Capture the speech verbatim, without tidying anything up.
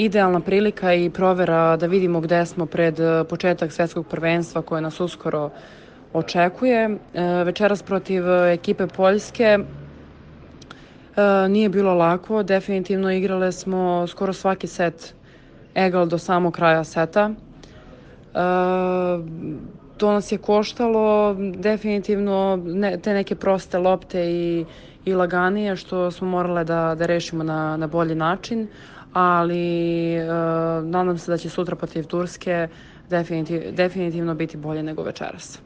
idealna prilika i provera da vidimo gde smo pred početak svetskog prvenstva koje nas uskoro očekuje. Večeras protiv ekipe Poljske nije bilo lako, definitivno igrale smo skoro svaki set egal do samog kraja seta. To nas je koštalo definitivno te neke proste lopte i, i laganije što smo morale da, da rešimo na, na bolji način, ali nadam se da će sutra protiv Turske definitiv, definitivno biti bolje nego večeras.